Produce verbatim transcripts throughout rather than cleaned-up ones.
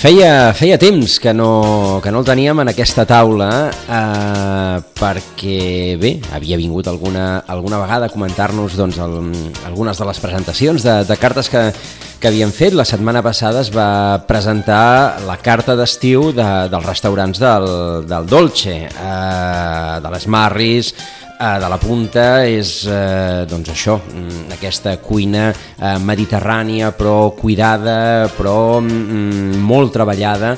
Feia, feia temps que no, que no el teníem en aquesta taula eh, perquè, bé, havia vingut alguna, alguna vegada a comentar-nos doncs, el, algunes de les presentacions de, de cartes que, que havien fet. La setmana passada es va presentar la carta d'estiu de, dels restaurants del, del Dolce, eh, de les Marris, de la Punta. És eh, doncs això, aquesta cuina eh, mediterrània però cuidada, però mm, molt treballada,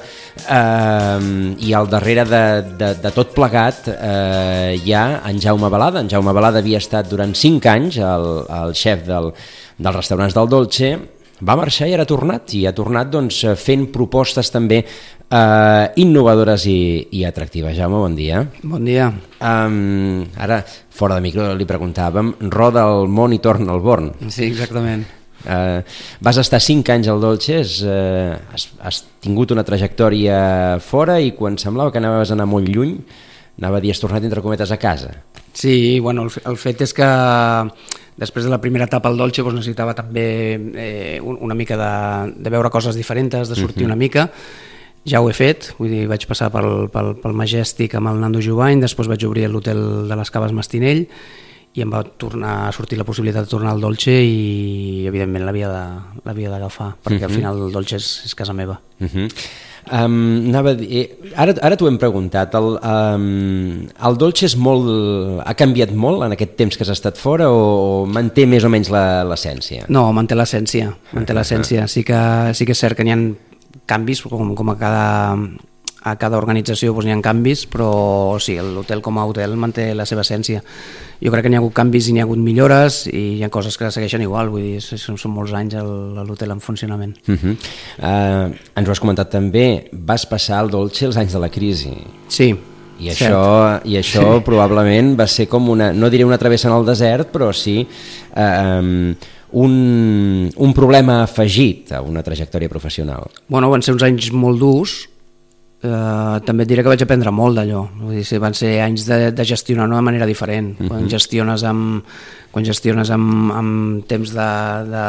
eh, i al darrere de, de, de tot plegat eh, hi ha en Jaume Balada. En Jaume Balada havia estat durant cinc anys el, el xef del, dels restaurants del Dolce, va marxar i ara ha tornat, i ha tornat doncs, fent propostes també eh, innovadores i, i atractives. Jaume, bon dia. Bon dia. Um, ara, fora de micro, li preguntàvem, roda el món i torna al Born. Sí, exactament. Uh, vas estar cinc anys al Dolce, és, uh, has, has tingut una trajectòria fora i quan semblava que anaves a anar molt lluny, anava a dir, has tornat entre cometes a casa. Sí, bueno, el, el fet és que després de la primera etapa al Dolce doncs necessitava també eh, una mica de, de veure coses diferents, de sortir uh-huh. una mica. Ja ho he fet, vull dir, vaig passar pel, pel, pel Majestic amb el Nando Jubany, després vaig obrir l'hotel de les Caves Mastinell i em va tornar a sortir la possibilitat de tornar al Dolce i evidentment l'havia de, l'havia d'agafar, perquè uh-huh. al final el Dolce és, és casa meva. Uh-huh. Um, anava a dir, ara, ara t'ho hem preguntat, el, um, el Dolce és molt, ha canviat molt en aquest temps que has estat fora o, o manté més o menys la, l'essència? No, manté l'essència, manté l'essència. Sí que, sí que és cert que n'hi ha canvis, com, com a cada, a cada organització doncs n'hi ha canvis, però sí, l'hotel com a hotel manté la seva essència. Jo crec que n'hi ha hagut canvis i n'hi ha hagut millores i hi ha coses que segueixen igual, vull dir, són, són molts anys l'hotel en funcionament. Uh-huh. Uh, ens ho has comentat també, vas passar al Dolce els anys de la crisi. Sí. I això, i això sí. probablement va ser com una, no diré una travessa en el desert, però sí eh, un, un problema afegit a una trajectòria professional. Bueno, van ser uns anys molt durs. Uh, també et diré que vaig aprendre molt d'allò. Vull dir, van ser anys de, de gestionar d'una manera diferent. Uh-huh. Quan gestiones amb, quan gestiones amb, amb temps de, de...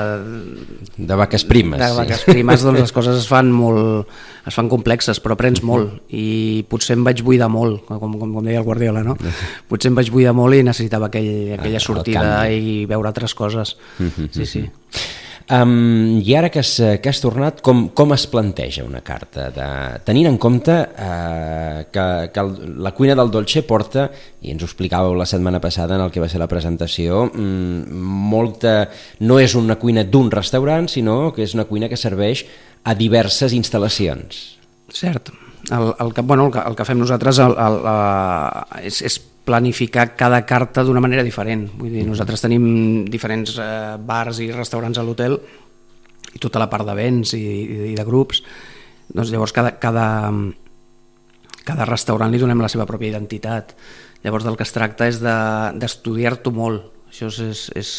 de vaques primes. De vaques sí. primes, doncs les coses es fan molt... es fan complexes, però aprens uh-huh. molt. I potser em vaig buidar molt, com, com, com deia el Guardiola, no? Uh-huh. Potser em vaig buidar molt i necessitava aquell, aquella ah, sortida i veure altres coses. Uh-huh. Sí, sí. Um, I ara que has, que has tornat, com, com es planteja una carta? De, tenint en compte uh, que, que el, la cuina del Dolce porta, i ens ho explicàveu la setmana passada en el que va ser la presentació, mm, molta, no és una cuina d'un restaurant, sinó que és una cuina que serveix a diverses instal·lacions. Cert. El, el, que, bueno, el, que, el que fem nosaltres el, el, el, és, és planificar cada carta d'una manera diferent. Vull dir, nosaltres tenim diferents eh, bars i restaurants a l'hotel i tota la part de béns i, i de grups. Doncs llavors cada, cada, cada restaurant li donem la seva pròpia identitat. Llavors del que es tracta és de, d'estudiar-t'ho molt. Això és... és, és,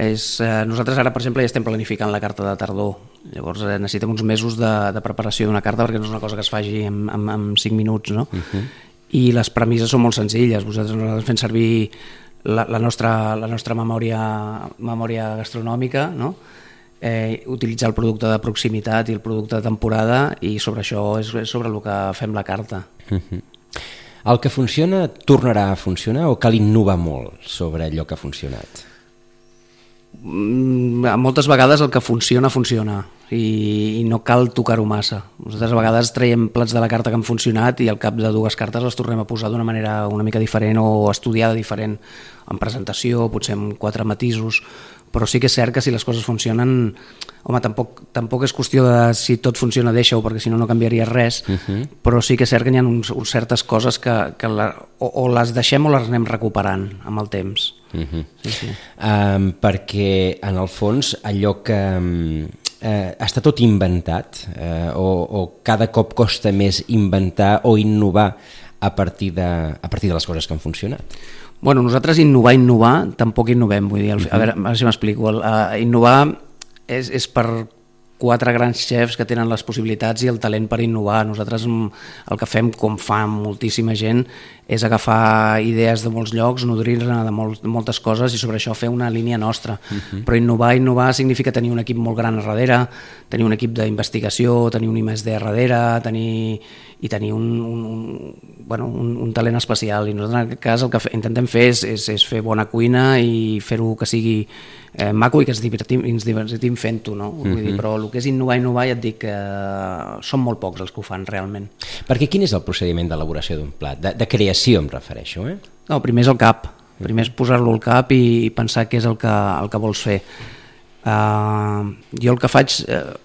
és eh, nosaltres ara, per exemple, ja estem planificant la carta de tardor. Llavors eh, necessitem uns mesos de, de preparació d'una carta perquè no és una cosa que es faci en, en, en cinc minuts, no? Uh-huh. I les premisses són molt senzilles. Vosaltres nosaltres fem servir la, la nostra, la nostra memòria, memòria gastronòmica, no? eh, utilitzar el producte de proximitat i el producte de temporada, i sobre això és sobre el que fem la carta. Uh-huh. El que funciona tornarà a funcionar o cal innovar molt sobre allò que ha funcionat? Moltes vegades el que funciona, funciona i, i no cal tocar-ho massa. Nosaltres a vegades traiem plats de la carta que han funcionat i al cap de dues cartes les tornem a posar d'una manera una mica diferent o estudiada diferent, en presentació, potser amb quatre matisos, però sí que és cert que si les coses funcionen, home, tampoc, tampoc és qüestió de si tot funciona deixa-ho, perquè si no no canviaria res, uh-huh. però sí que és cert que hi ha uns, uns certes coses que, que la, o, o les deixem o les anem recuperant amb el temps. Uh-huh. Sí, sí. Um, perquè en el fons allò que eh, està tot inventat eh, o, o cada cop costa més inventar o innovar a partir de, a partir de les coses que han funcionat. Bueno, nosaltres innovar, innovar, tampoc innovem, vull dir, a veure, a veure si m'explico. Uh, innovar és, és per quatre grans xefs que tenen les possibilitats i el talent per innovar. Nosaltres el que fem, com fa moltíssima gent, és agafar idees de molts llocs, nodrir-ne de molt, moltes coses i sobre això fer una línia nostra. Uh-huh. Però innovar, innovar significa tenir un equip molt gran a darrere, tenir un equip d'investigació, tenir un I més D a darrere, tenir, i tenir un, un, un, bueno, un, un talent especial. I nosaltres en aquest cas el que fe, intentem fer és, és, és fer bona cuina i fer-ho que sigui eh, maco i que ens divertim, ens divertim fent-ho, no? Uh-huh. Vull dir, però el que és innovar, innovar, ja et dic que eh, són molt pocs els que ho fan realment. Perquè quin és el procediment d'elaboració d'un plat? De, de creació em refereixo, eh? No, primer és el cap. Primer és posar-lo al cap i, i pensar què és el que, el que vols fer. Uh, jo el que faig, uh,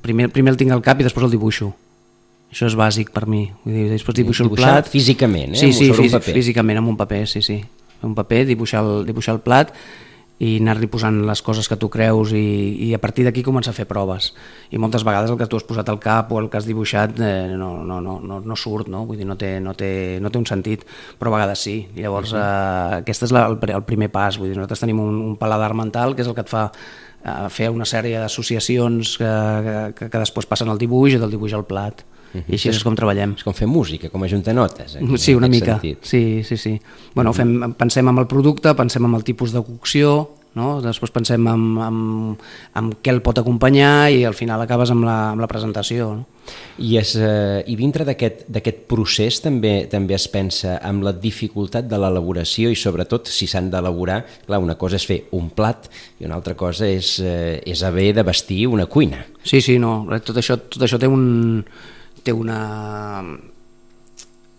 primer, primer el tinc al cap i després el dibuixo. Això és bàsic per mi. Vull dir, després dibuixo el plat. Físicament, eh? Sí, sí, sobre fí un paper. Físicament, amb un paper, sí, sí. Un paper, dibuixar el, dibuixar el plat i anar-li posant les coses que tu creus i, i a partir d'aquí començar a fer proves. I moltes vegades el que tu has posat al cap o el que has dibuixat eh, no, no, no, no, no surt, no? Vull dir, no té, no, té, no té un sentit, però a vegades sí. I llavors uh-huh. eh, aquest és la, el, el primer pas. Vull dir, nosaltres tenim un, un paladar mental que és el que et fa eh, fer una sèrie d'associacions que, que, que després passen al dibuix i del dibuix al plat. Uh-huh. I així és com treballem. És com fer música, com ajuntar notes. Aquí, sí, una mica. Sentit. Sí, sí, sí. Bueno, fem, pensem en el producte, pensem en el tipus de cocció, no? Després pensem en, en, en què el pot acompanyar i al final acabes amb la, amb la presentació. No? I, és, eh, i dintre d'aquest procés també també es pensa en la dificultat de l'elaboració i sobretot si s'han d'elaborar, clar, una cosa és fer un plat i una altra cosa és, eh, és haver de vestir una cuina. Sí, sí, no, tot això, tot això té un... té una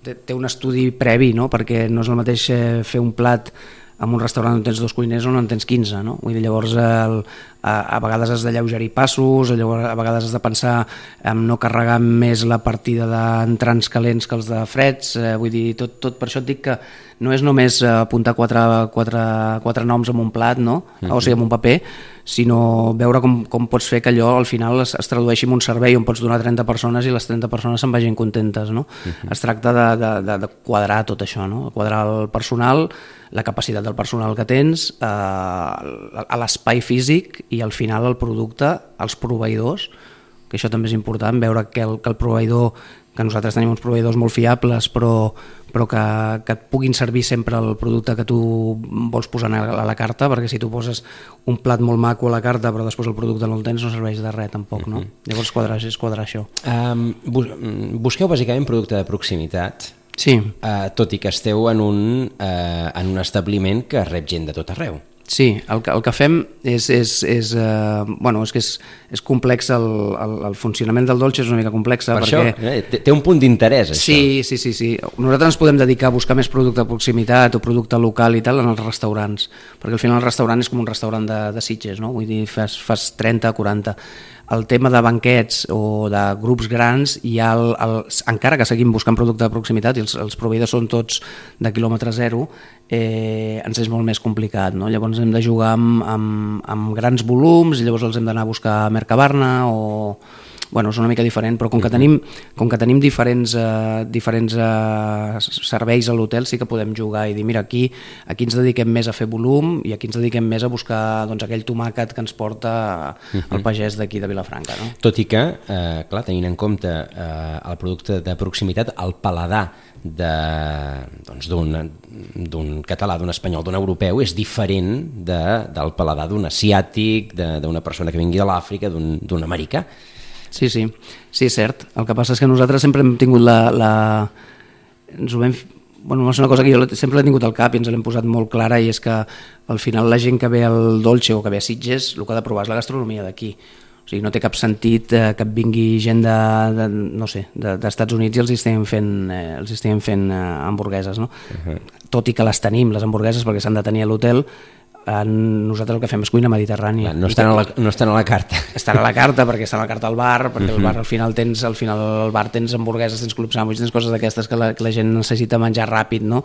té un estudi previ, no? Perquè no és el mateix fer un plat en un restaurant on tens dos cuiners o on en tens quinze, no? Vull dir, llavors el, a, a vegades has d'alleugerir passos, llavors a vegades has de pensar en no carregar més la partida d'entrants calents que els de freds, eh, vull dir, tot, tot per això et dic que no és només apuntar quatre, quatre, quatre noms en un plat, no? Uh-huh. O sigui, en un paper, sinó veure com, com pots fer que allò al final es, es tradueixi en un servei on pots donar trenta persones i les trenta persones se'n vagin contentes, no? Uh-huh. Es tracta de, de, de, de quadrar tot això, no? Quadrar el personal, la capacitat del personal que tens, eh, a l'espai físic i al final el producte, els proveïdors, que això també és important, veure que el, que el proveïdor, que nosaltres tenim uns proveïdors molt fiables, però, però que, que et puguin servir sempre el producte que tu vols posar a la carta, perquè si tu poses un plat molt maco a la carta però després el producte no el tens, no serveix de res tampoc, no? Uh-huh. Llavors quadrar, és quadrar això. Um, bus busqueu bàsicament producte de proximitat, sí. uh, tot i que esteu en un, uh, en un establiment que rep gent de tot arreu. Sí, el que, el que fem és, és, és, eh, bueno, és que és, és complex, el, el, el funcionament del dolce és una mica complex. Per perquè... això, eh, té, té un punt d'interès, això. Sí, sí, sí, sí. Nosaltres ens podem dedicar a buscar més producte de proximitat o producte local i tal en els restaurants, perquè al final el restaurant és com un restaurant de, de Sitges, no? Vull dir, fas, fas trenta, quaranta... El tema de banquets o de grups grans, hi ha el, el, encara que seguim buscant producte de proximitat i els, els proveïdors són tots de quilòmetre zero, eh, ens és molt més complicat, no? Llavors hem de jugar amb, amb, amb grans volums i llavors els hem d'anar a buscar a Mercabarna o... Bueno, és una mica diferent, però com que tenim, com que tenim diferents, eh, diferents eh, serveis a l'hotel, sí que podem jugar i dir, mira, aquí, aquí ens dediquem més a fer volum i aquí ens dediquem més a buscar doncs, aquell tomàquet que ens porta el pagès d'aquí de Vilafranca. No? Tot i que, eh, clar, tenint en compte eh, el producte de proximitat, el paladar doncs, d'un català, d'un espanyol, d'un europeu, és diferent de, del paladar d'un asiàtic, d'una persona que vingui de l'Àfrica, d'un americà. Sí, sí, sí, és cert. El que passa és que nosaltres sempre hem tingut la... la... Ens ho vam... Bueno, és una cosa que jo sempre l'he tingut al cap i ens l'hem posat molt clara, i és que al final la gent que ve al Dolce o que ve a Sitges el que ha de provar és la gastronomia d'aquí. O sigui, no té cap sentit eh, que vingui gent de, de no sé, de, d'Estats Units i els estiguem fent, eh, els estiguem fent eh, hamburgueses, no? Uh-huh. Tot i que les tenim, les hamburgueses, perquè s'han de tenir a l'hotel, nosaltres el que fem és cuina mediterrània. No estan, a la, no estan a la carta. Estan a la carta perquè estan a la carta al bar, perquè al bar al final tens al final al bar tens hamburgueses, tens club sandwich, tens coses d'aquestes que la, que la gent necessita menjar ràpid, no?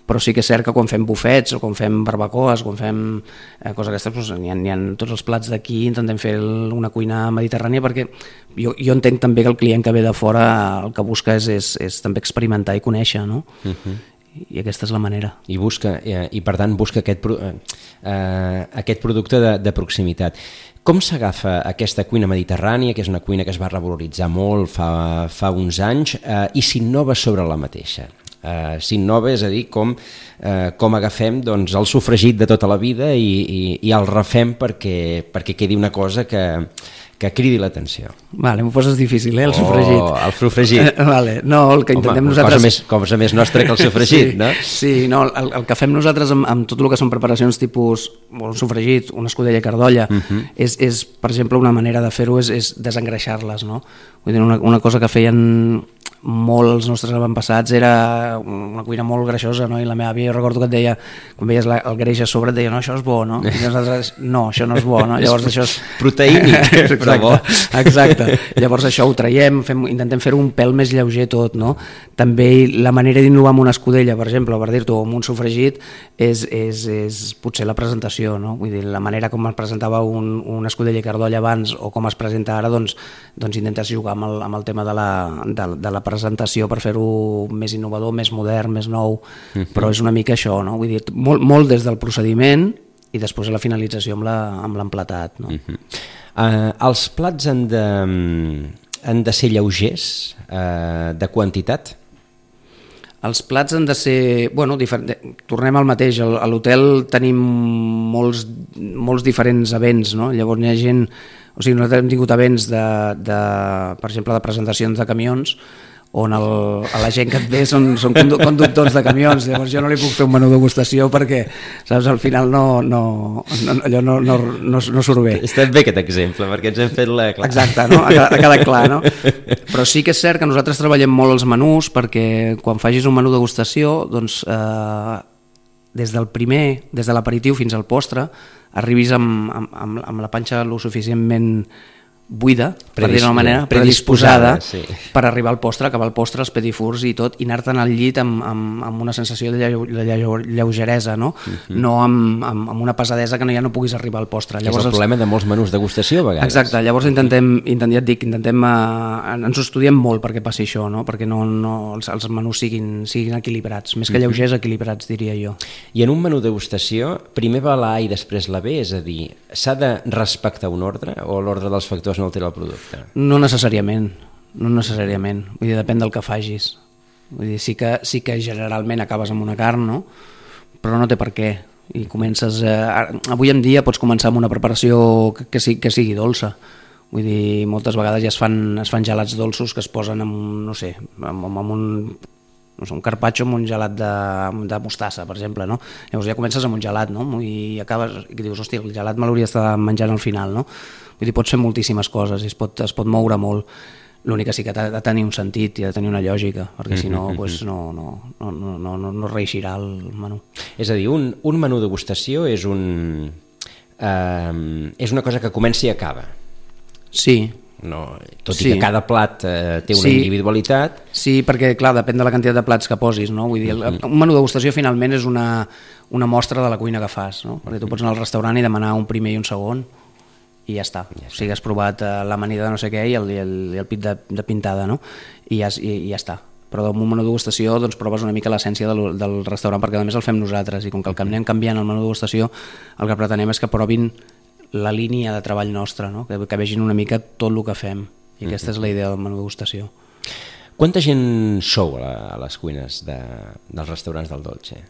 Però sí que és cert que quan fem bufets o quan fem barbacoes, quan fem eh, coses aquestes, doncs, n'hi ha, n'hi ha tots els plats d'aquí, intentem fer una cuina mediterrània, perquè jo, jo entenc també que el client que ve de fora el que busca és, és, és també experimentar i conèixer, no? Uh-huh. I aquesta és la manera. I busca, i per tant busca aquest, eh, aquest producte de, de proximitat. Com s'agafa aquesta cuina mediterrània, que és una cuina que es va revaloritzar molt fa, fa uns anys, eh, i s'innova sobre la mateixa? Eh, s'innova, és a dir, com, eh, com agafem doncs, el sofregit de tota la vida i, i, i el refem perquè, perquè quedi una cosa que, que cridi l'atenció. Vale, m'ho poses difícil, eh, el sofregit. Oh, el sofregit. Vale, no, el que intentem Home, nosaltres... Cosa més, cosa més nostra que el sofregit, sí, no? Sí, no, el, el que fem nosaltres amb, amb tot el que són preparacions tipus un sofregit, una escudella i cardolla, uh -huh. és, és, per exemple, una manera de fer-ho és, és desengreixar-les, no? Vull dir, una, una cosa que feien molt els nostres avantpassats era una cuina molt greixosa, no? I la meva àvia, jo recordo que et deia, quan veies la, el greix a sobre, et deia, no, això és bo, no? I nosaltres, no, això no és bo, no? Llavors això és... proteïnic, però bo. Exacte. Llavors això ho traiem, fem, intentem fer-ho un pèl més lleuger tot, no? També la manera d'innovar amb una escudella, per exemple, per dir-t'ho, amb un sofregit, és, és, és potser la presentació, no? Vull dir, la manera com es presentava un, una escudella i cardolla abans o com es presenta ara, doncs, doncs intentes jugar amb el, amb el tema de la, de, de la presentació per fer-ho més innovador, més modern, més nou, uh-huh. Però és una mica això, no? Vull dir, molt, molt des del procediment i després a la finalització amb la, amb l'emplatat, no? Uh-huh. Uh, els plats han de, han de ser lleugers, uh, de quantitat? Els plats han de ser... Bueno, difer... tornem al mateix. A l'hotel tenim molts, molts diferents events, no? Llavors hi ha gent... O sigui, nosaltres hem tingut events, de, de, per exemple, de presentacions de camions, on el, a la gent que et ve són, són conductors de camions, llavors jo no li puc fer un menú degustació perquè, saps, al final no, no, no, allò no, no, no, no surt bé. Està bé aquest exemple, perquè ens hem fet la... Clar. Exacte, no? Ha quedat, ha quedat clar, no? Però sí que és cert que nosaltres treballem molt els menús perquè quan facis un menú degustació, doncs, eh, des del primer, des de l'aperitiu fins al postre, arribis amb, amb, amb la panxa lo suficientment buida, per dir-ho d'una manera, predisposada, sí. Per arribar al postre, acabar el postre, els petit fours i tot, i anar-te'n al llit amb, amb, amb una sensació de lleu, lleu, lleugeresa, no? Uh-huh. No amb, amb, amb una pesadesa que no, ja no puguis arribar al postre. Llavors, és el problema els... de molts menús degustació, a vegades. Exacte, llavors intentem, intentem ja et dic, intentem, uh, ens ho estudiem molt perquè passi això, no? Perquè no, no, els, els menús siguin, siguin equilibrats, més que lleugers, uh-huh. Equilibrats, diria jo. I en un menú degustació, primer va la A i després la B, és a dir, s'ha de respectar un ordre o l'ordre dels factors no altera el producte? No necessàriament, no necessàriament. Vull dir, depèn del que facis. Vull dir, sí que, sí que generalment acabes amb una carn, no? Però no té per què. I comences... Eh, avui en dia pots començar amb una preparació que, que, sigui, que sigui dolça. Vull dir, moltes vegades ja es fan, es fan gelats dolços que es posen amb, no sé, amb, amb un... no sé, un carpaccio amb un gelat de, de mostassa, per exemple, no? Llavors ja comences amb un gelat, no? I acabes, i dius, hòstia, el gelat me l'hauria d'estar menjant al final, no? Vull dir, pots fer moltíssimes coses i es pot, es pot moure molt. L'únic que sí que ha de tenir un sentit i ha de tenir una lògica, perquè si no, pues, no, no, no, no, no, no reeixirà el menú. És a dir, un, un menú degustació és, un, eh, és una cosa que comença i acaba. Sí. No, tot sí. I que cada plat eh, té una sí. individualitat. Sí, perquè clar, depèn de la quantitat de plats que posis, no? Vull dir, el, un menú degustació finalment és una, una mostra de la cuina que fas, no? Perquè tu pots anar al restaurant i demanar un primer i un segon i ja està. Ja o sigui, has provat eh, l'amanida de no sé què i el, i el, i el pit de, de pintada, no? I ja, i, i ja està. Però amb un menú degustació doncs, proves una mica l'essència del, del restaurant, perquè a més el fem nosaltres i com que el que anem canviant el menú degustació, el que pretenem és que provin la línia de treball nostra, no? que, que vegin una mica tot el que fem, i aquesta és la idea del menú degustació. Quanta gent sou a, la, a les cuines de, dels restaurants del Dolce?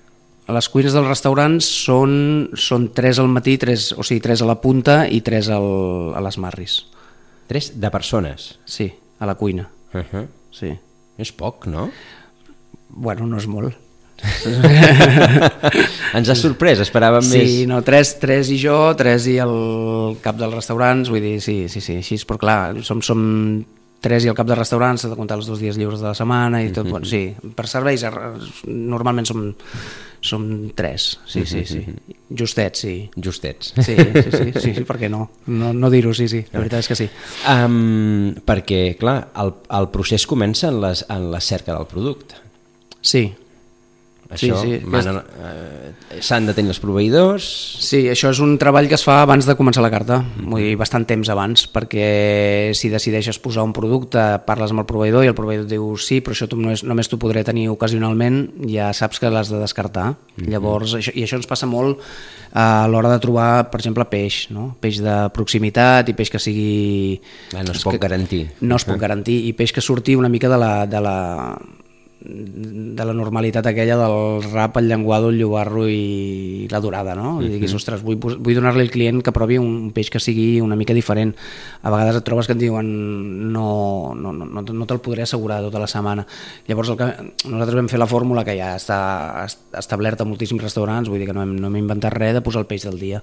A les cuines dels restaurants són, són tres al matí, tres, o sigui, tres a la punta i tres al, a les marris. Tres de persones? Sí, a la cuina. Uh-huh. Sí. És poc, no? Bueno, no és molt. Ens ha sorprès, esperàvem sí, més. Sí, no, tres, tres i jo, tres i el cap dels restaurants, vull dir, sí, sí, sí, així, però clar, som, som tres i el cap de restaurants, s'ha de comptar els dos dies lliures de la setmana i tot, mm-hmm. bueno, sí, per serveis normalment som, som tres, sí, sí, sí, justets, sí. Justets. Sí, sí, sí, sí, sí, per què no? No, no dir-ho, sí, sí, la veritat és que sí. Um, perquè, clar, el, el procés comença en, les, en la cerca del producte. Sí. Això, sí, sí, manen, eh, s'han de tenir els proveïdors... Sí, això és un treball que es fa abans de començar la carta, mm. vull dir, bastant temps abans, perquè si decideixes posar un producte, parles amb el proveïdor i el proveïdor et diu sí, però això tu només, només t'ho podré tenir ocasionalment, ja saps que l'has de descartar. Mm-hmm. Llavors, això, i això ens passa molt a l'hora de trobar, per exemple, peix, no? Peix de proximitat i peix que sigui... Ah, no es pot que, garantir. No es pot garantir, i peix que surti una mica de la... De la de la normalitat aquella del rap, el llenguado, el llobarro i la dorada, no? Uh-huh. I diguis, ostres, vull, vull donar-li al client que provi un peix que sigui una mica diferent. A vegades et trobes que et diuen no, no, no, no, no te'l podré assegurar tota la setmana. Llavors el que, nosaltres vam fer la fórmula que ja està establerta a moltíssims restaurants, vull dir que no hem, no hem inventat res, de posar el peix del dia.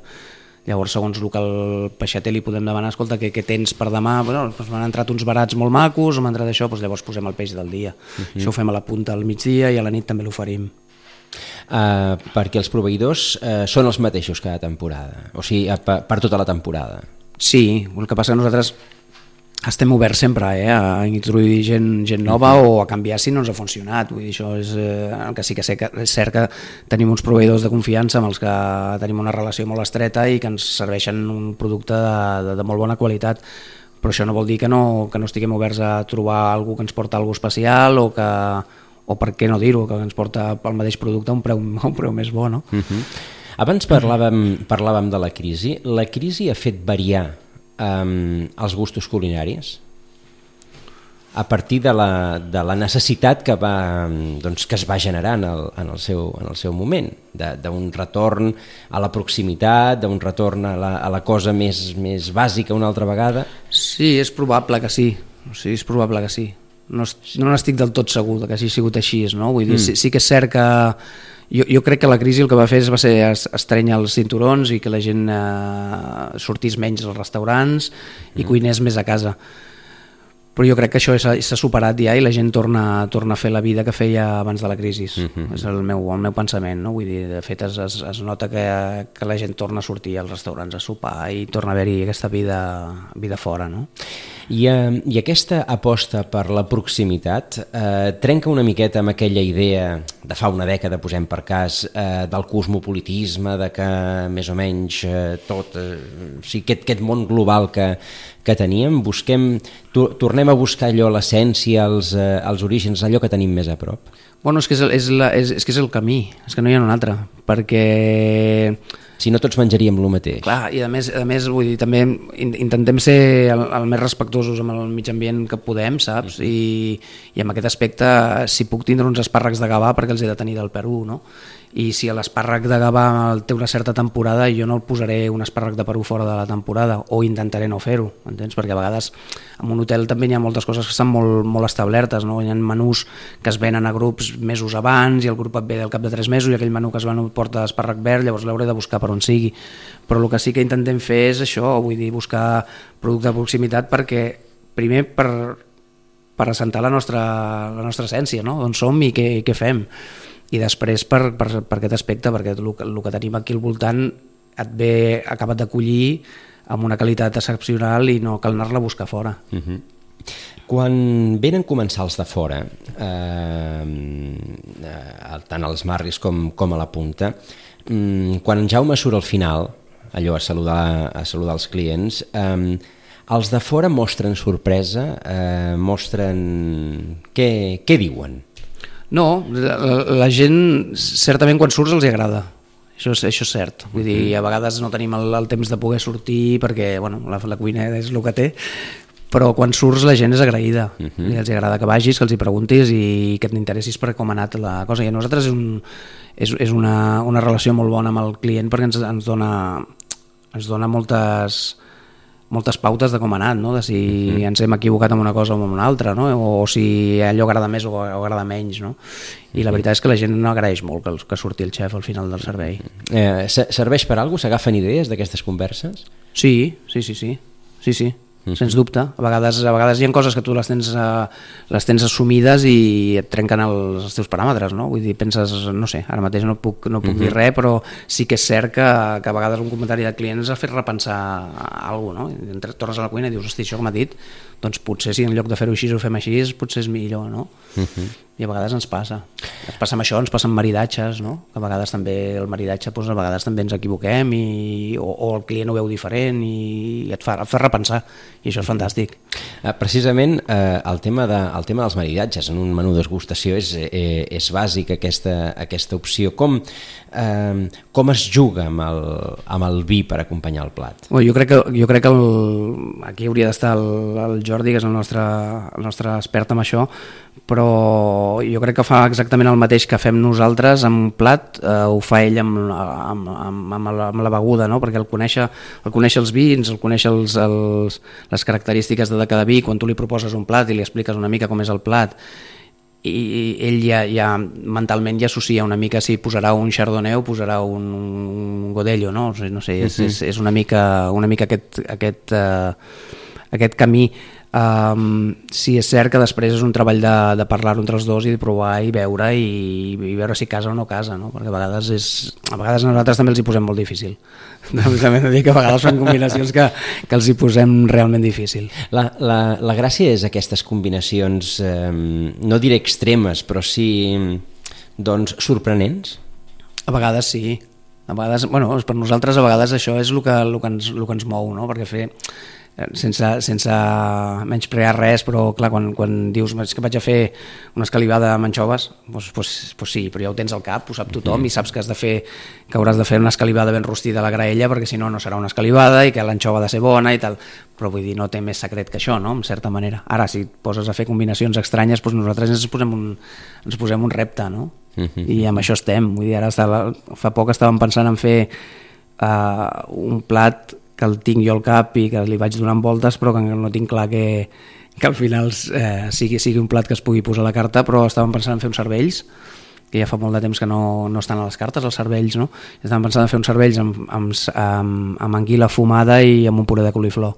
Llavors, segons el que el peixater li podem demanar, escolta, què, què tens per demà? Bueno, doncs m'han entrat uns barats molt macos, o m'ha entrat això, doncs llavors posem el peix del dia. Uh-huh. Això ho fem a la punta al migdia i a la nit també l'oferim. Uh, perquè els proveïdors uh, són els mateixos cada temporada, o sigui, per, per tota la temporada. Sí, el que passa que nosaltres estem oberts sempre eh, a introduir gent, gent nova uh-huh. o a canviar si no ens ha funcionat. Vull dir, això és eh, el que sí que sé que és cert que tenim uns proveïdors de confiança amb els que tenim una relació molt estreta i que ens serveixen un producte de, de, de molt bona qualitat, però això no vol dir que no, que no estiguem oberts a trobar algú que ens porta alguna especial o que, o per què no dir-ho, que ens porta pel mateix producte a un preu, a un preu més bo, no? Uh-huh. Abans parlàvem, parlàvem de la crisi. La crisi ha fet variar Um, els gustos culinaris a partir de la, de la necessitat que, va, doncs, que es va generar en el, en el, seu, en el seu moment, d'un retorn a la proximitat, d'un retorn a la, a la cosa més, més bàsica una altra vegada. Sí, és probable que sí, sí és probable que sí. No, no n'estic del tot segur que hagi sigut així, no? Vull dir, mm. sí, sí que és cert que Jo, jo crec que la crisi el que va fer va ser estrènyer els cinturons i que la gent eh, sortís menys als restaurants i mm. cuinés més a casa. Però jo crec que això s'ha superat ja i la gent torna, torna a fer la vida que feia abans de la crisi. Mm-hmm. És el meu, el meu pensament, no? Vull dir, de fet es, es, es nota que, que la gent torna a sortir als restaurants a sopar i torna a haver-hi aquesta vida, vida fora, no? I, eh, I aquesta aposta per la proximitat eh, trenca una miqueta amb aquella idea de fa una dècada, posem per cas, eh, del cosmopolitisme, de que més o menys eh, tot, eh, o sigui, aquest, aquest món global que, que teníem, busquem, to, tornem a buscar allò, l'essència, els, eh, els orígens, allò que tenim més a prop. Bueno, és que és, el, és, la, és, és que és el camí, és que no hi ha un altre, perquè... Si no tots menjaríem el mateix. Clar, i a més, a més vull dir, també intentem ser el, el més respectuosos amb el mig ambient que podem, saps? I, i amb aquest aspecte, si puc tindre uns espàrrecs de Gavà, perquè els he de tenir del Perú, no? I si l'espàrrec de Gavà té una certa temporada, jo no el posaré un espàrrec de Perú fora de la temporada, o intentaré no fer-ho, entens? Perquè a vegades en un hotel també hi ha moltes coses que estan molt, molt establertes, no? Hi ha menús que es venen a grups mesos abans i el grup et ve al cap de tres mesos i aquell menú que es ven porta espàrrec verd, llavors l'hauré de buscar per on sigui. Però el que sí que intentem fer és això, vull dir, buscar producte de proximitat perquè, primer, per, per assentar la nostra, la nostra essència, no? On som i què, i què fem. I després per, per, per aquest aspecte, perquè el, el que tenim aquí al voltant et ve acabat d'acollir amb una qualitat excepcional i no cal anar-la a buscar fora. Uh-huh. Quan venen comensals de fora, eh, eh, tant als Marris com, com a la Punta, eh, quan en Jaume surt al final, allò a saludar, a saludar els clients, eh, els de fora mostren sorpresa, eh, mostren... Què, què diuen? No, la, la gent certament quan surts els hi agrada, això és, això és cert, vull dir, a vegades no tenim el, el temps de poder sortir perquè bueno, la, la cuina és el que té, però quan surts la gent és agraïda, uh-huh. I els agrada que vagis, que els hi preguntis i que t'interessis per com ha anat la cosa, i a nosaltres és, un, és, és una, una relació molt bona amb el client perquè ens, ens, dona, ens dona moltes... moltes pautes de com ha anat, no? De si uh-huh. ens hem equivocat amb una cosa o amb una altra, no? O, o si allò agrada més o, o agrada menys, no? I la veritat és que la gent no agraeix molt que, que surti el xef al final del servei. Eh, serveix per alguna cosa? S'agafen idees d'aquestes converses? Sí, sí, sí, sí, sí, sí. Uh-huh. Sens dubte, a vegades, a vegades hi ha coses que tu les tens, uh, les tens assumides i et trenquen els, els teus paràmetres, no? Vull dir, penses, no sé, ara mateix no puc, no puc uh-huh. dir res, però sí que és cert que, que a vegades un comentari de clients ha fet repensar alguna cosa, no? Entres, tornes a la cuina i dius, hosti, això que m'ha dit, doncs potser si en lloc de fer-ho així ho fem així, potser és millor, no? Uh-huh. i a vegades ens passa. Ens passa amb això, ens passa amb maridatges, no? Que a vegades també el maridatge, doncs, a vegades també ens equivoquem i, o, o el client ho veu diferent i et fa, et fa repensar, i això és fantàstic. Precisament eh, el, tema de, el tema dels maridatges en un menú d'esgustació és, eh, és bàsic, aquesta, aquesta opció. Com, eh, com es juga amb el, amb el vi per acompanyar el plat? Bueno, jo crec que, jo crec que el, aquí hauria d'estar el, el Jordi, que és el nostre, el nostre expert en això, però jo crec que fa exactament el mateix que fem nosaltres amb un plat, eh, ho fa ell amb, amb, amb, amb, la, amb la beguda, no? Perquè el conèixer, el conèixer els vins, el conèixer els, els, les característiques de cada vi, quan tu li proposes un plat i li expliques una mica com és el plat, i ell ja, ja mentalment ja associa una mica si posarà un chardonnay o posarà un, un godello, no? No sé, és, és, és una mica, una mica aquest, aquest, uh, aquest camí. Um, sí, és cert que després és un treball de, de parlar-ho entre els dos i de provar i veure i, i veure si casa o no casa, no? Perquè a vegades, és, a vegades nosaltres també els hi posem molt difícil. També he de dir que a vegades són combinacions que, que els hi posem realment difícil. La, la, la gràcia és aquestes combinacions, eh, no diré extremes, però sí doncs, sorprenents? A vegades sí. A vegades, bueno, per nosaltres a vegades això és el que, el que, ens, el que ens mou, no? Perquè fer... sense, sense menysprear res, però clar, quan, quan dius és que vaig a fer una escalivada amb anxoves, doncs, doncs, doncs sí, però ja ho tens al cap, ho sap tothom, mm-hmm. i saps que has de fer que hauràs de fer una escalivada ben rostida a la graella, perquè si no, no serà una escalivada i que l'anxova ha de ser bona i tal, però vull dir, no té més secret que això, no?, en certa manera. Ara, si et poses a fer combinacions estranyes, doncs nosaltres ens posem un, ens posem un repte, no? Mm-hmm. I amb això estem. Vull dir, ara estava, fa poc estàvem pensant en fer uh, un plat que el tinc jo al cap i que li vaig donant voltes, però que no tinc clar que, que al final eh, sigui, sigui un plat que es pugui posar a la carta, però estàvem pensant en fer uns cervells, que ja fa molt de temps que no, no estan a les cartes, els cervells, no? Estàvem pensant en fer uns cervells amb, amb, amb, amb anguila fumada i amb un puré de coliflor.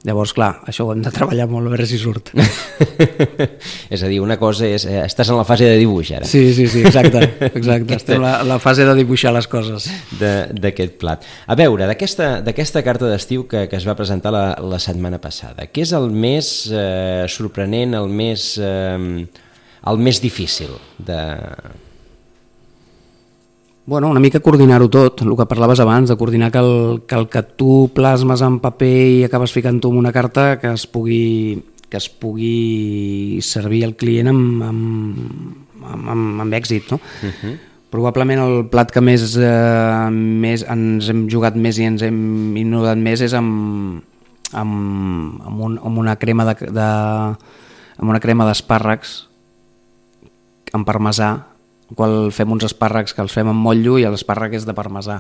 Llavors, clar, això ho hem de treballar molt a veure si surt. És a dir, una cosa és... Eh, estàs en la fase de dibuix, ara. Sí, sí, sí, exacte. exacte. Estem en la, la fase de dibuixar les coses. D'aquest plat. A veure, d'aquesta carta d'estiu que, que es va presentar la, la setmana passada, què és el més eh, sorprenent, el més, eh, el més difícil de... Bueno, una mica coordinar-ho tot, el que parlaves abans, de coordinar que el que, el que tu plasmes en paper i acabes ficant-ho en una carta que es pugui, que es pugui servir al client amb, amb, amb, amb èxit, no? Uh-huh. Probablement el plat que més, eh, més ens hem jugat més i ens hem innovat més és amb, amb, amb, un, amb una crema de, de amb una crema d'espàrrecs amb parmesà, qual fem uns espàrrecs que els fem amb motllo i l'espàrrec és de parmesà.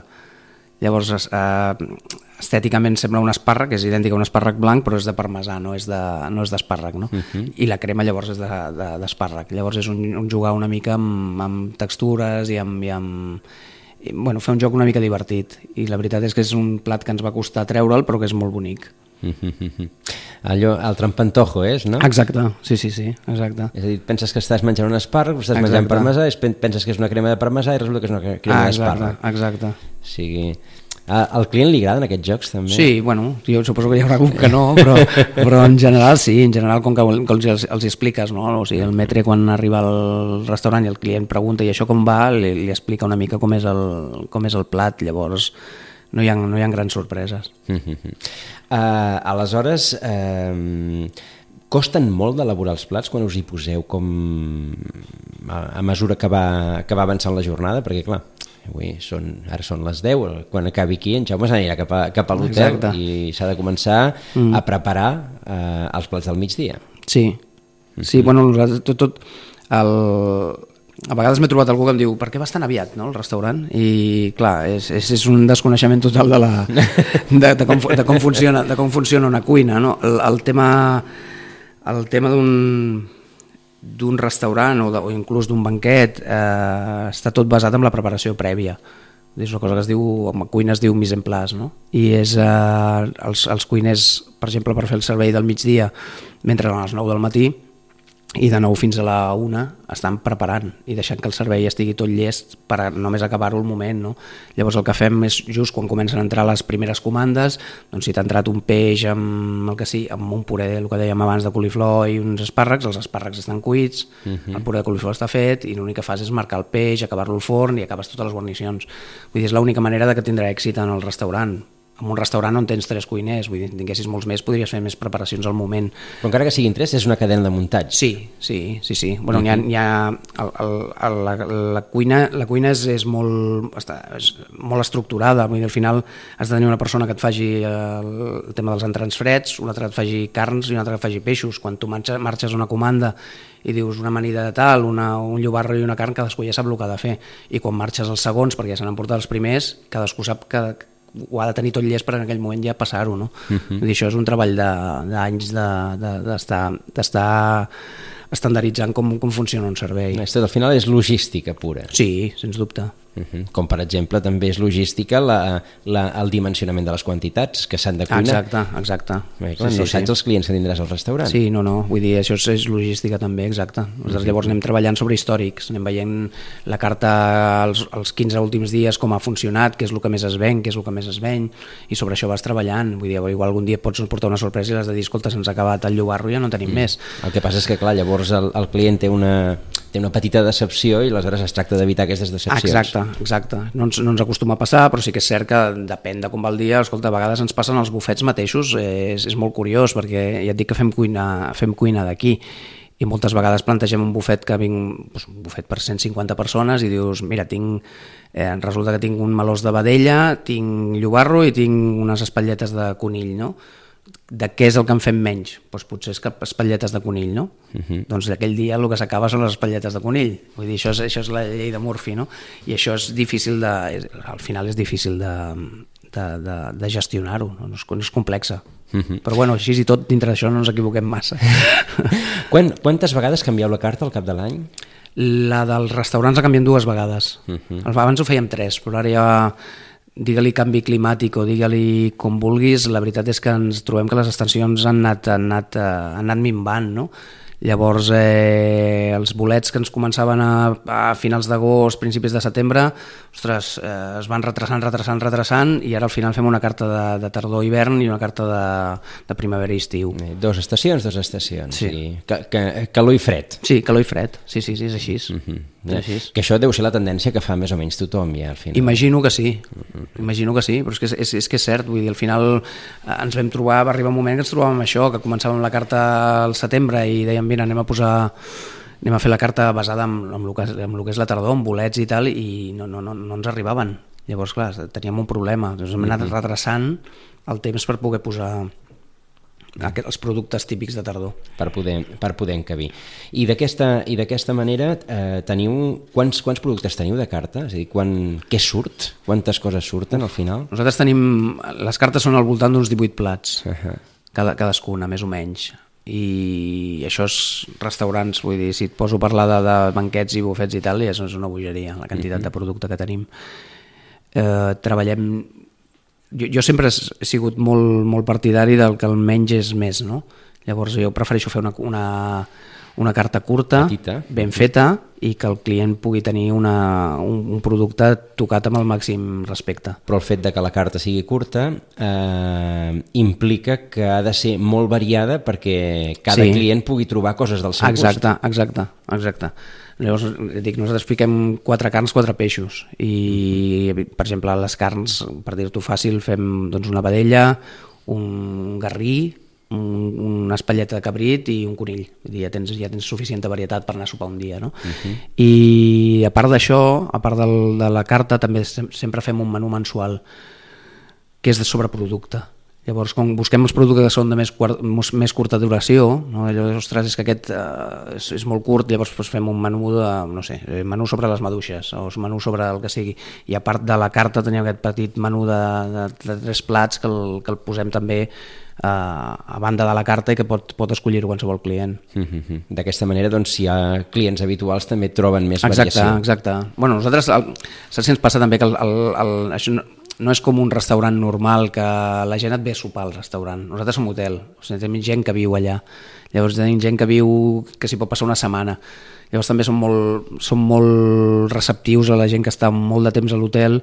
Llavors, eh, estèticament sembla un espàrrec, és idèntic a un espàrrec blanc, però és de parmesà, no és, de, no és d'espàrrec, no? Uh-huh. I la crema llavors és de, de, d'espàrrec. Llavors és un, un jugar una mica amb, amb textures i amb... I amb i, bueno, fer un joc una mica divertit. I la veritat és que és un plat que ens va costar treure'l, però que és molt bonic. Allò, el trampantojo és, no? Exacte, sí, sí, sí, exacte. És a dir, penses que estàs menjant un espàrrec, estàs exacte. menjant parmesà, penses que és una crema de parmesà i resulta que és una crema ah, d'espàrrec. Exacte, exacte. O sigui, al client li agraden aquests jocs també? Sí, bueno, jo suposo que hi haurà algú que no, però, però en general sí, en general com que els, els expliques, no? O sigui, el metre quan arriba al restaurant i el client pregunta i això com va, li, li explica una mica com és el, com és el plat, llavors no hi ha, no hi ha grans sorpreses. uh, aleshores, uh, costen molt d'elaborar els plats quan us hi poseu com a, a mesura que va, que va avançant la jornada? Perquè clar, avui són, ara són les deu, quan acabi aquí en Jaume s'anirà cap a, cap a l'hotel i s'ha de començar mm. a preparar uh, els plats del migdia. Sí, mm-hmm. sí, bueno, tot, tot el... A vegades m'he trobat algú que em diu per què vas tan aviat, no, al restaurant? I clar, és, és, és un desconeixement total de, la, de, de, com, de, com, funciona, de com funciona una cuina, no? El, el tema, el tema d'un d'un restaurant o, de, o inclús d'un banquet eh, està tot basat en la preparació prèvia. És una cosa que es diu, en cuina es diu mise en place, no? I és eh, els, els cuiners, per exemple, per fer el servei del migdia, mentre a les nou del matí, i de nou fins a la una estan preparant i deixant que el servei estigui tot llest per a només acabar-ho al moment, no? Llavors el que fem és just quan comencen a entrar les primeres comandes, doncs si t'ha entrat un peix amb el que sí, amb un puré, el que dèiem abans, de coliflor i uns espàrrecs, els espàrrecs estan cuits, uh-huh. el puré de coliflor està fet i l'únic que fas és marcar el peix, acabar-lo al forn i acabes totes les guarnicions. Vull dir, és l'única manera de que tindrà èxit en el restaurant. En un restaurant on tens tres cuiners, vull dir, si tinguessis molts més, podries fer més preparacions al moment. Però encara que siguin tres, és una cadena de muntatge. Sí, sí, sí, sí. Bueno, uh-huh. hi ha, hi ha el, el, el, la, la cuina, la cuina és, és, molt, està, és molt estructurada, vull dir, al final has de tenir una persona que et faci el, el tema dels entrants freds, una altra que et faci carns i una altra que et faci peixos. Quan tu marxes, marxes una comanda i dius una amanida de tal, una, un llobarro i una carn, cadascú ja sap el que ha de fer. I quan marxes els segons, perquè ja se n'han portat els primers, cadascú sap que ho ha de tenir tot llest per en aquell moment ja passar-ho, no? Uh-huh. Vull dir, això és un treball d'anys d'estar de, d'estar estandarditzant com, com funciona un servei. Esto, al final és logística pura. Sí, sens dubte. Uh-huh. Com per exemple també és logística la, la, el dimensionament de les quantitats que s'han de cuinar. Exacte, exacte. Bé, clar, sí, no sí, saps sí. els clients que tindràs al restaurant. Sí, no, no, vull dir, això és, és logística també, exacte. Nosaltres uh-huh. llavors anem treballant sobre històrics, anem veient la carta els, els quinze últims dies com ha funcionat, què és el que més es ven, què és el que més es ven, i sobre això vas treballant. Vull dir, igual algun dia pots portar una sorpresa i has de dir, escolta, se'ns ha acabat el llobarro i ja no en tenim uh-huh. més. El que passa és que, clar, llavors el, el client té una, té una petita decepció i aleshores es tracta d'evitar aquestes decepcions. Exacte, exacte. No ens, no ens acostuma a passar, però sí que és cert que depèn de com va el dia. Escolta, a vegades ens passen els bufets mateixos, eh, és, és molt curiós, perquè ja et dic que fem cuina, fem cuina d'aquí, i moltes vegades plantegem un bufet que vinc, doncs, un bufet per cent cinquanta persones i dius, mira, tinc, eh, resulta que tinc un melós de vedella, tinc llobarro i tinc unes espatlletes de conill, no? De què és el que en fem menys? Doncs potser és que espatlletes de conill, no? Uh-huh. Doncs aquell dia el que s'acaba són les espatlletes de conill. Vull dir, això és, això és la llei de Murphy, no? I això és difícil de... Al final és difícil de, de, de, de gestionar-ho, no? No és, no és complexa. Uh-huh. Però bueno, així i tot, dintre d'això no ens equivoquem massa. Quan, quantes vegades canvieu la carta al cap de l'any? La dels restaurants ha canviat dues vegades. Uh-huh. Abans ho fèiem tres, però ara ja... digue-li canvi climàtic o digue-li com vulguis, la veritat és que ens trobem que les estacions han anat, han anat, han anat minvant, no? Llavors, eh, els bolets que ens començaven a, a finals d'agost, principis de setembre, ostres, eh, es van retrasant, retrasant, retrasant, i ara al final fem una carta de, de tardor-hivern i una carta de, de primavera-estiu. Eh, dos estacions, dos estacions. Sí. I que, que, calor i fred. Sí, calor i fred, sí, sí, sí, és així. Uh-huh. És així. Que això deu ser la tendència que fa més o menys tothom ja al final. Imagino que sí, uh-huh. imagino que sí, però és que és, és que és cert, vull dir, al final ens vam trobar, va arribar un moment que ens trobàvem això, que començàvem la carta al setembre i dèiem, mira, anem a posar, anem a fer la carta basada en, en, el que, en el que és la tardor, en bolets i tal, i no, no, no, no ens arribaven. Llavors, clar, teníem un problema. Llavors hem anat retrasant el temps per poder posar els productes típics de tardor. Per poder, per poder encabir. I d'aquesta i d'aquesta manera eh, teniu... Quants, quants productes teniu de carta? És a dir, quan, què surt? Quantes coses surten al final? Nosaltres tenim... Les cartes són al voltant d'uns divuit plats, uh-huh. cada, cadascuna, més o menys. I això és restaurants, vull dir, si et poso a parlar de, de banquets i bufets i tal, ja és una bogeria, la quantitat uh-huh. de producte que tenim. Eh, treballem... Jo, jo sempre he sigut molt, molt partidari del que el menys és més, no? Llavors jo prefereixo fer una, una, una carta curta, petita, ben feta, i que el client pugui tenir una, un, un producte tocat amb el màxim respecte. Però el fet de que la carta sigui curta eh, implica que ha de ser molt variada perquè cada sí. client pugui trobar coses del seu exacte, gust. Exacte, exacte. Llavors, dic, nosaltres fiquem quatre carns, quatre peixos, i per exemple les carns, per dir-t'ho fàcil, fem doncs, una vedella, un garrí, un, una espatlleta de cabrit i un conill. Vull dir, ja tens, ja tens suficient varietat per anar a sopar un dia, no? Uh-huh. I a part d'això, a part del, de la carta, també sempre fem un menú mensual que és de sobreproducte. Llavors, quan busquem els productes que són de més, més curta duració, no? Llavors, ostres, és que aquest eh, és, és molt curt, llavors doncs, fem un menú de, no sé, menú sobre les maduixes, o menú sobre el que sigui. I a part de la carta tenim aquest petit menú de, de, de tres plats que el, que el posem també eh, a banda de la carta i que pot, pot escollir-ho qualsevol client. Mm-hmm. D'aquesta manera, doncs, si hi ha clients habituals també troben més exacte, variació. Exacte, exacte. Bueno, nosaltres, el, saps si ens passa també que el, el, el, això no, no és com un restaurant normal que la gent et ve a sopar al restaurant. Nosaltres som hotel, o sigui, tenim gent que viu allà. Llavors tenim gent que viu, que s'hi pot passar una setmana. Llavors també som molt, som molt receptius a la gent que està molt de temps a l'hotel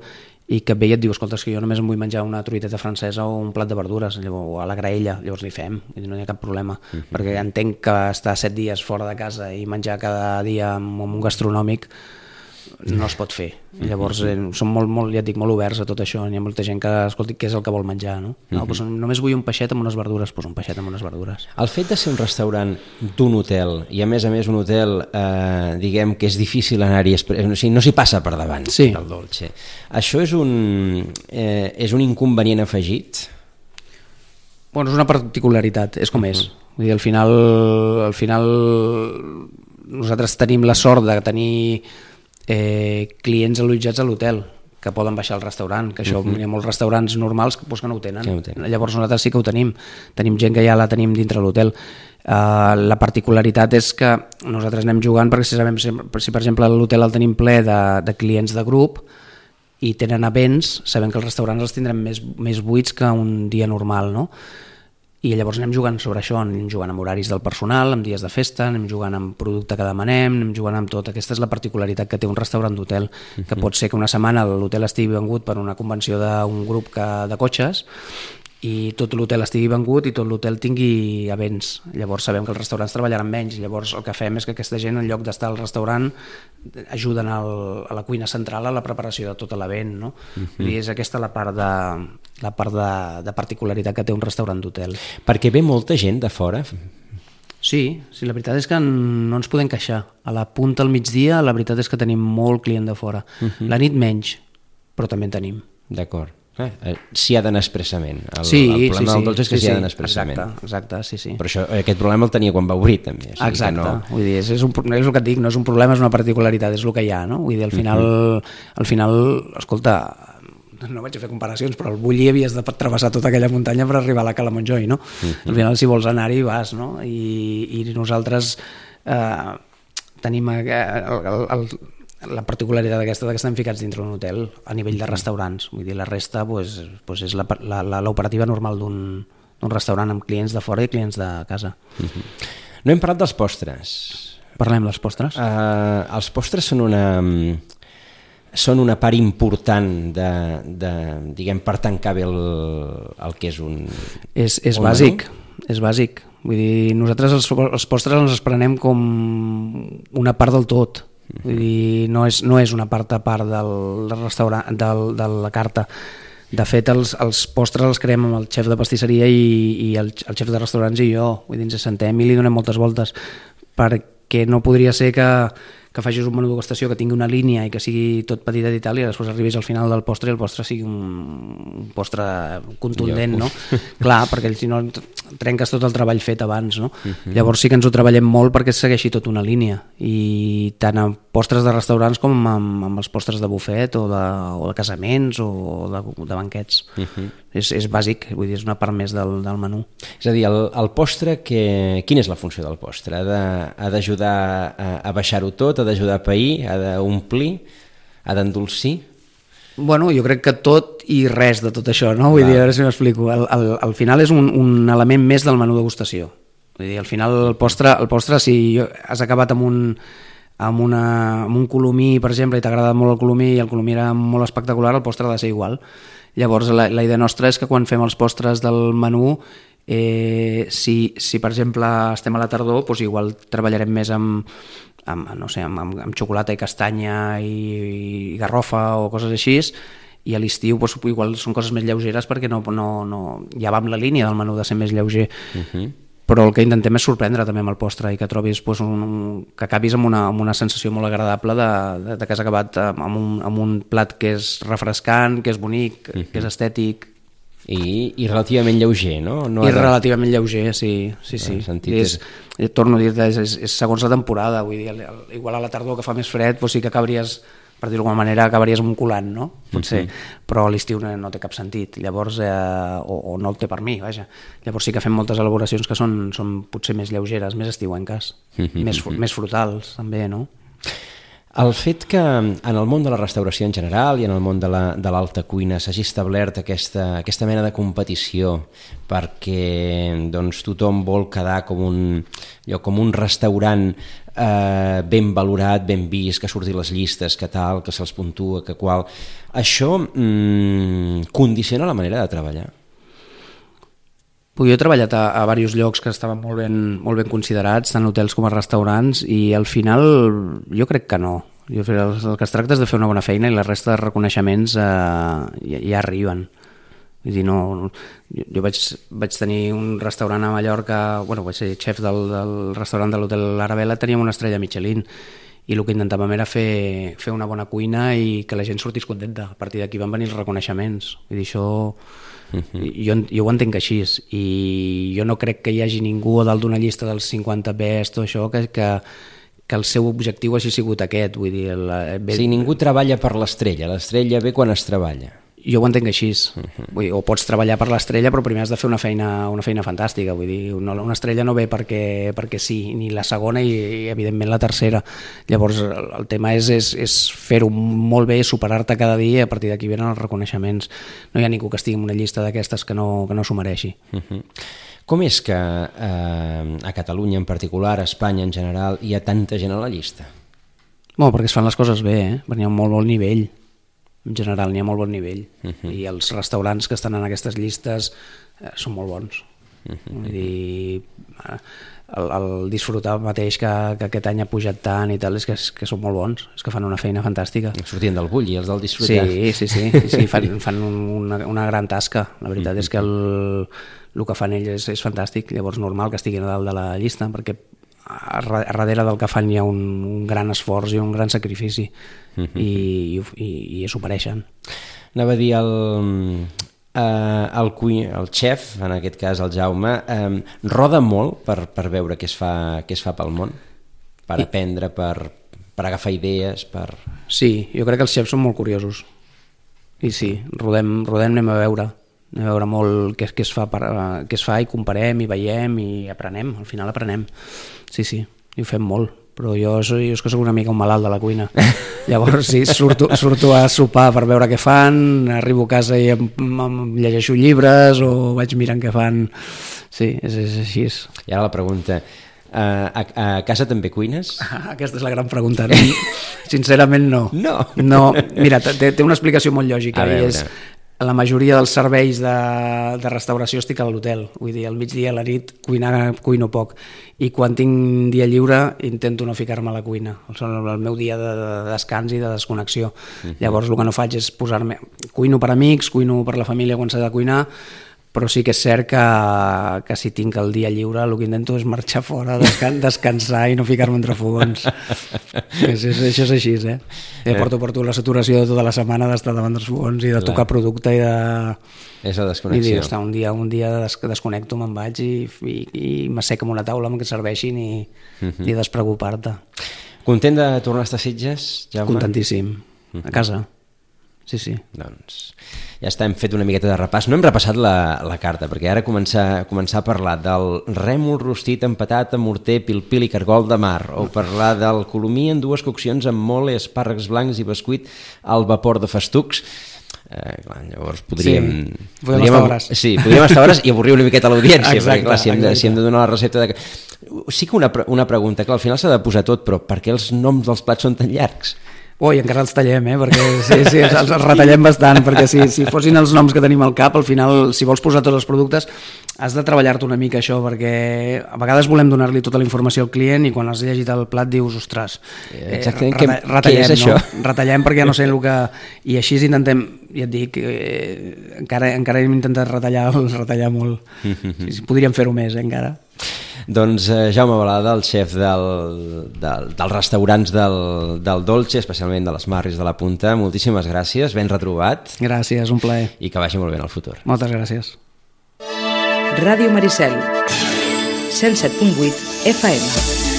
i que et ve i et diu, escolta, és que jo només em vull menjar una truiteta francesa o un plat de verdures, llavors, o a la graella, llavors li fem, no hi ha cap problema, uh-huh. perquè entenc que estar set dies fora de casa i menjar cada dia en un gastronòmic no es pot fer. Llavors eh, som molt, molt, ja et dic, molt oberts a tot això. Hi ha molta gent que, escolti, què és el que vol menjar, no? no doncs només vull un peixet amb unes verdures, doncs un peixet amb unes verdures. El fet de ser un restaurant d'un hotel, i a més a més un hotel, eh, diguem que és difícil anar-hi, o sigui, no s'hi passa per davant sí. del dolce. Això és un, eh, és un inconvenient afegit? Bueno, és una particularitat, és com uh-huh. és. Vull dir, al final, al final nosaltres tenim la sort de tenir Eh, clients allotjats a l'hotel que poden baixar al restaurant, que això uh-huh. hi ha molts restaurants normals que, pues, que no ho tenen. Sí, no tenen. Llavors nosaltres sí que ho tenim, tenim gent que ja la tenim dintre l'hotel. Uh, la particularitat és que nosaltres anem jugant perquè si, sabem, si, si per exemple l'hotel el tenim ple de, de clients de grup i tenen events, sabem que els restaurants els tindrem més, més buits que un dia normal, no? I llavors anem jugant sobre això, anem jugant amb horaris del personal, amb dies de festa, anem jugant amb producte que demanem, anem jugant amb tot. Aquesta és la particularitat que té un restaurant d'hotel, que pot ser que una setmana l'hotel estigui vengut per una convenció d'un grup que, de cotxes i tot l'hotel estigui vengut i tot l'hotel tingui events. Llavors sabem que els restaurants treballaran menys, llavors el que fem és que aquesta gent, en lloc d'estar al restaurant, ajuden al, a la cuina central a la preparació de tot l'event, no? Uh-huh. I és aquesta la part de, la part de, de particularitat que té un restaurant d'hotel. Perquè ve molta gent de fora? Sí, sí, la veritat és que no ens podem queixar. A la punta al migdia la veritat és que tenim molt client de fora. Uh-huh. La nit menys, però també en tenim. D'acord. Eh, s'hi ha d'anar expressament. El, sí, el problema sí, del dolç és que sí, s'hi ha sí, d'anar expressament. Exacte, exacte, sí, sí. Però això, aquest problema el tenia quan va obrir, també. O sigui exacte, que no... vull dir, és, és, un, és el que et dic, no és un problema, és una particularitat, és el que hi ha, no? Vull dir, al final, uh-huh. al final, escolta, no vaig a fer comparacions, però al Bulli havies de travessar tota aquella muntanya per arribar a la Cala Montjoi, no? Uh-huh. Al final, si vols anar-hi, vas, no? I, i nosaltres eh, tenim el, el, el la particularitat aquesta que estem ficats dintre d'un hotel a nivell de restaurants, vull dir, la resta pues, pues és l'operativa normal d'un restaurant amb clients de fora i clients de casa. Uh-huh. No hem parlat dels postres. Parlem dels postres. Uh, els postres són una són una part important de, de diguem, per tancar bé el, el que és un... És, és bàsic, és bàsic. Vull dir, nosaltres els, els postres ens els prenem com una part del tot. Vull dir, no és, no és una part a part del, del restaurant, del, de la carta. De fet, els, els postres els creem amb el xef de pastisseria i, i el, el xef de restaurants i jo. Vull dir, ens sentem i li donem moltes voltes, perquè no podria ser que, que facis un menú degustació que tingui una línia i que sigui tot petitet i tal, i després arribis al final del postre i el postre sigui un, un postre contundent, no? Clar, perquè si no trenques tot el treball fet abans, no? Uh-huh. Llavors sí que ens ho treballem molt perquè segueixi tota una línia, i tant en postres de restaurants com amb, amb els postres de bufet o de, o de casaments o de, de banquets. Uh-huh. És, és bàsic, vull dir, és una part més del, del menú. És a dir, el, el postre, que, quina és la funció del postre? Ha d'ajudar a, a baixar-ho tot, ha d'ajudar a pair, ha d'omplir, ha d'endolcir? Bueno, jo crec que tot i res de tot això, no? Vull dir, a veure si m'explico. Al, al, al final és un, un element més del menú degustació. Vull dir, al final el postre, el postre si has acabat amb un, amb, una, amb un colomí, per exemple, i t'ha agradat molt el colomí i el colomí era molt espectacular, el postre ha de ser igual. Llavors, la, la idea nostra és que quan fem els postres del menú, eh, si, si per exemple estem a la tardor, doncs igual treballarem més amb, amb, no sé, amb, amb xocolata i castanya i, i garrofa o coses així, i a l'estiu doncs, igual són coses més lleugeres perquè no, no, no, ja va amb la línia del menú de ser més lleuger. Uh-huh. Però el que intentem és sorprendre també amb el postre i que trobis, doncs, un, que acabis amb una, amb una sensació molt agradable de, de, de que has acabat amb un, amb un plat que és refrescant, que és bonic, uh-huh. que és estètic. I, i relativament lleuger, no? no I de... relativament lleuger, sí. sí, sí. És, és... Torno a dir, és, és, és segons la temporada, vull dir, igual a la tardor que fa més fred, doncs sí que acabaries, per dir-ho d'alguna manera, acabaries amb un colant, no? Potser, uh-huh. però a l'estiu no, no té cap sentit, llavors, eh, o, o no el té per mi, vaja. Llavors sí que fem moltes elaboracions que són, són potser més lleugeres, més estiuenques, uh-huh. més, més frutals, també, no? El fet que en el món de la restauració en general i en el món de la, de l'alta cuina s'hagi establert aquesta, aquesta mena de competició perquè doncs, tothom vol quedar com un, allò, com un restaurant eh, ben valorat, ben vist, que surti les llistes, que tal, que se'ls puntua, que qual... Això mm, condiciona la manera de treballar? Jo he treballat a, a diversos llocs que estaven molt ben, molt ben considerats, tant hotels com a restaurants, i al final jo crec que no. Jo, el, el que es tracta és de fer una bona feina i la resta de reconeixements eh, ja, ja arriben. Vull dir, no, jo, jo vaig, vaig tenir un restaurant a Mallorca, bueno, vaig ser xef del, del restaurant de l'Hotel Arabella, teníem una estrella Michelin, i el que intentàvem era fer, fer una bona cuina i que la gent sortís contenta. A partir d'aquí van venir els reconeixements. Vull dir, això... Uh-huh. Jo, jo ho entenc així, i jo no crec que hi hagi ningú a dalt d'una llista dels cinquanta best o això que, que, que el seu objectiu hagi sigut aquest. Vull dir, la, ve... Si ningú treballa per l'estrella, l'estrella ve quan es treballa. Jo ho entenc així. Uh-huh. Vull dir, o pots treballar per l'estrella, però primer has de fer una feina, una feina fantàstica. Vull dir, una, una estrella no ve perquè, perquè sí, ni la segona i, i evidentment la tercera. Llavors el, el tema és, és, és fer-ho molt bé, superar-te cada dia, i a partir d'aquí venen els reconeixements. No hi ha ningú que estigui en una llista d'aquestes que no, que no s'ho mereixi. Uh-huh. Com és que eh, a Catalunya en particular, a Espanya en general, hi ha tanta gent a la llista? Bueno, perquè es fan les coses bé, eh? Perquè hi ha un molt bon nivell. En general n'hi ha molt bon nivell, uh-huh. I els restaurants que estan en aquestes llistes eh, són molt bons. Uh-huh. Vull dir, el, el disfrutar mateix que, que aquest any ha pujat tant i tal, és que, que són molt bons, és que fan una feina fantàstica. Sortien del Bulli, els del disfrutar. Sí, sí, sí, sí fan, fan una, una gran tasca. La veritat uh-huh. és que el, el que fan ells és, és fantàstic, llavors normal que estiguin a dalt de la llista, perquè a darrere del que fan hi ha un, un gran esforç i un gran sacrifici, uh-huh. i, i, i s'ho mereixen. Anava a dir el, eh, el, el xef, en aquest cas el Jaume, eh, roda molt per, per veure què es, fa, què es fa pel món, per I... aprendre, per, per agafar idees, per... Sí, jo crec que els xefs són molt curiosos, i sí, rodem, rodem anem a veure anem a veure molt què, què, es fa per, què es fa i comparem i veiem i aprenem, al final aprenem. Sí, sí, i ho fem molt, però jo, soy, jo és que soc una mica un malalt de la cuina. Llavors sí, surto, surto a sopar per veure què fan, arribo a casa i em, em llegeixo llibres o vaig mirant què fan. Sí, és, és així. I ara la pregunta, a, a, a casa també cuines? Aquesta és la gran pregunta. No? Sincerament no. No? No, mira, té, té una explicació molt lògica i és... La majoria dels serveis de, de restauració estic a l'hotel, vull dir, al migdia, a la nit, cuinar, cuino poc. I quan tinc dia lliure intento no ficar-me a la cuina. El meu dia de, de descans i de desconnexió. Uh-huh. Llavors el que no faig és posar-me... Cuino per amics, cuino per la família quan s'ha de cuinar, però sí que és cert que, que si tinc el dia lliure el que intento és marxar fora, descan descansar i no ficar-me entre fogons. és, és, això és així, eh? eh porto, porto la saturació de tota la setmana d'estar davant dels fogons i de tocar producte i de... És la desconnexió. I dir, un dia, un dia des desconnecto, me'n vaig i, i, i m'asseco amb una taula amb què serveixin i, uh-huh. i despreocupar-te. Content de tornar a estar a Sitges, Jaume? Contentíssim. Uh-huh. A casa. Sí, sí. Doncs ja està, hem fet una miqueta de repàs. No hem repassat la, la carta, perquè ara començar, començar a parlar del rèmol rostit amb patata, morter, pil-pil i cargol de mar, o parlar del colomí en dues coccions amb mole, espàrrecs blancs i bescuit al vapor de festucs. Eh, clar, llavors podríem... Sí, podríem estar hores. Sí, podríem estar hores i avorrir una miqueta l'audiència, perquè clar, si hem, de, si hem de donar la recepta de... Sí que una, una pregunta, clar, al final s'ha de posar tot, però per què els noms dels plats són tan llargs? Ui, encara els tallem, eh? Perquè sí, sí, els, els retallem bastant, perquè si, si fossin els noms que tenim al cap, al final, si vols posar tots els productes, has de treballar-te una mica això, perquè a vegades volem donar-li tota la informació al client i quan has llegit el plat dius, ostres, eh, exactament, reta què, retallem, què és això? No? Retallem perquè no sé el que... I així intentem, ja et dic, eh, encara, encara hem intentat retallar, retallar molt. Sí, sí, podríem fer-ho més, eh, encara. Doncs eh, Jaume Balada, el xef del, del, dels restaurants del, del Dolce, especialment de les Marris de la Punta, moltíssimes gràcies, ben retrobat. Gràcies, un plaer. I que vagi molt bé en el futur. Moltes gràcies. Ràdio Maricel, cent set punt vuit F M.